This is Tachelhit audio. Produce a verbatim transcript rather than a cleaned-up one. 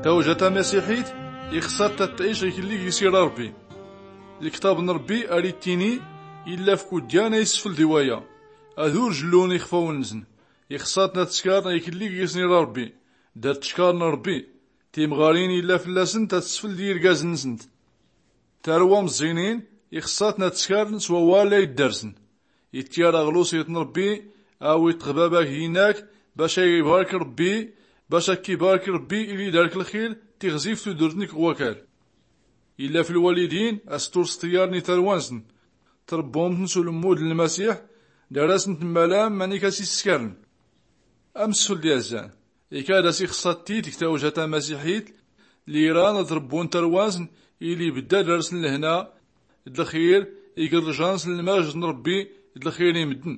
Tawjata masiḥit ixṣat tatɛic iklli gis ira rbbi. Lktab n rbbi ar ittini illa f kudyan a isfl d iwaya, ad ur jllun ixfawn nsn. Ixṣat tatskar iklli gis ira rbbi, dar tckar n rbbi. Timɣarin illa fllasnt ad sfl d irgaz nsnt. Tarwa mẓinin ixṣat tatskar s wawal a iddarsn. Ittyar aɣlusit n rbbi, awi tɣbabak hinak, bac a ibark rbbi, bac a kibark rbbi ili dark lxir. Tiɣzif tudrt nik ɣwakal illa flwalidin, astur s ṭṭyar n itarwa nsn. Trbbumtn s ulmmud n lmasiḥ, dar asn tmmalam manik as isskarn. Amsfl d yazzan, ikad as ixṣat tit gtawjata masiḥit, liran ad rbbun tarwa nsn, ili bdda dar asn lhna d lxir, igrrjan s lmajt n rbbi d lxir i mddn.